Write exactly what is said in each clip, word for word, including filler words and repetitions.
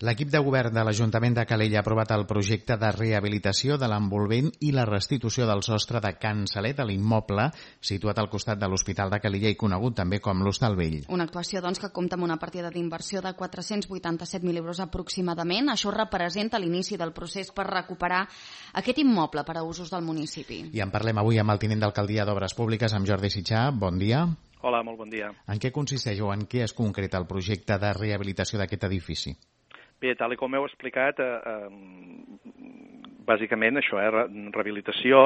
L'equip de govern de l'Ajuntament de Calella ha aprovat el projecte de rehabilitació de l'envolvent i la restitució del sostre de Can Salet a l'immoble situat al costat de l'Hospital de Calella i conegut també com l'Hostal Vell. Una actuació doncs, que compta amb una partida d'inversió de quatre-cents vuitanta-set mil euros aproximadament. Això representa l'inici del procés per recuperar aquest immoble per a usos del municipi. I en parlem avui amb el tinent d'alcaldia d'Obres Públiques, amb Jordi Sitjà. Bon dia. Hola, molt bon dia. En què consisteix o en què es concreta el projecte de rehabilitació d'aquest edifici? Bé, tal com heu explicat, eh, eh, bàsicament això, eh, rehabilitació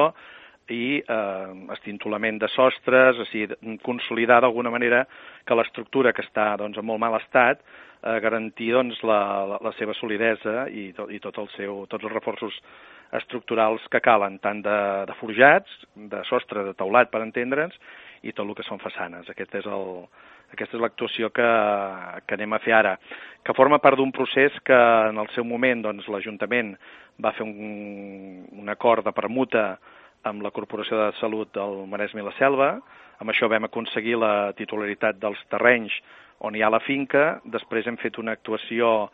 i eh, estintolament de sostres, o sigui, consolidar d'alguna manera que l'estructura que està doncs, en molt mal estat, eh, garantir doncs, la, la, la seva solidesa i, to, i tot el seu, tots els reforços estructurals que calen, tant de, de forjats, de sostre, de teulat, per entendre'ns, i tot el que són façanes. Aquest és el... Aquesta és l'actuació que, que anem a fer ara, que forma part d'un procés que en el seu moment doncs, l'Ajuntament va fer un, un acord de permuta amb la Corporació de Salut del Maresme i la Selva. Amb això vam aconseguir la titularitat dels terrenys on hi ha la finca. Després hem fet una actuació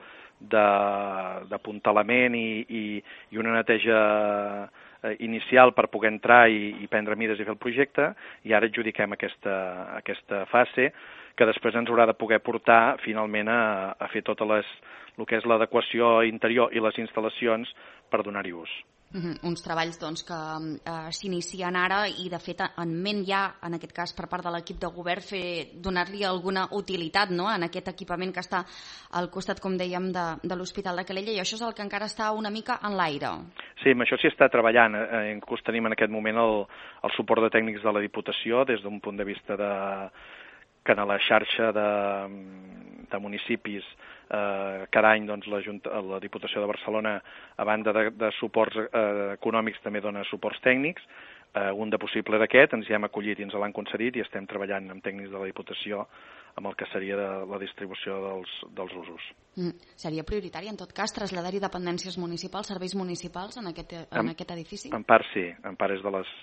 d'apuntalament i, i, i una neteja inicial per poder entrar i, i prendre mides i fer el projecte, i ara adjudiquem aquesta, aquesta fase que després ens haurà de poder portar finalment a, a fer tot les, el que és l'adequació interior i les instal·lacions per donar-hi ús. Uh-huh. Uns treballs doncs, que uh, s'inicien ara i de fet en ment ja, en aquest cas per part de l'equip de govern, fer donar-li alguna utilitat, no?, en aquest equipament que està al costat, com dèiem, de, de l'Hospital de Calella, i això és el que encara està una mica en l'aire. Sí, amb això s'hi està treballant. Eh, inclús tenim en aquest moment el, el suport de tècnics de la Diputació des d'un punt de vista de que en la xarxa de, de municipis eh, cada any doncs, la, Junta, la Diputació de Barcelona, a banda de, de suports eh, econòmics, també dona suports tècnics. Eh, un de possible d'aquest, ens hi hem acollit i ens l'han concedit i estem treballant amb tècnics de la Diputació amb el que seria de la distribució dels, dels usos. Mm. Seria prioritari, en tot cas, traslladar-hi dependències municipals, serveis municipals en aquest, en, en aquest edifici? En part sí, en part és de les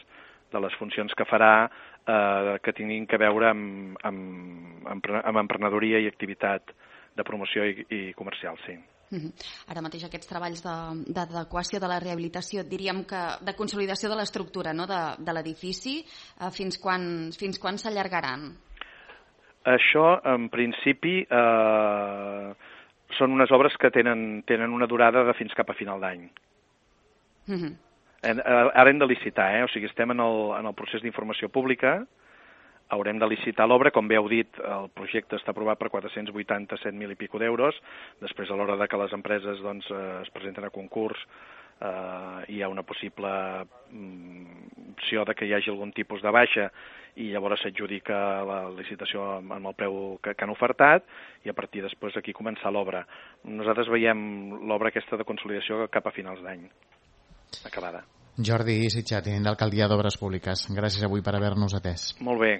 de les funcions que farà eh, que tinguin que veure amb, amb, amb emprenedoria i activitat de promoció i, i comercial, sí. Uh-huh. Ara mateix aquests treballs d'adequació de, de la rehabilitació, diríem que de consolidació de l'estructura, no?, de, de l'edifici, eh, fins quan, fins quan s'allargaran? Això, en principi, eh, són unes obres que tenen, tenen una durada de fins cap a final d'any. Uh-huh. Ara hem de licitar, eh? O sigui, estem en el, en el procés d'informació pública, haurem de licitar l'obra, com bé heu dit, el projecte està aprovat per quatre-cents vuitanta-set mil i pico d'euros, després a l'hora de que les empreses doncs, es presenten a concurs eh, hi ha una possible mm, opció de que hi hagi algun tipus de baixa i llavors s'adjudica la licitació amb el preu que, que han ofertat i a partir després aquí començar l'obra. Nosaltres veiem l'obra aquesta de consolidació cap a finals d'any. Acabada. Jordi Sitjà, tinent d'alcaldia d'Obres Públiques. Gràcies avui per haver-nos atès. Molt bé.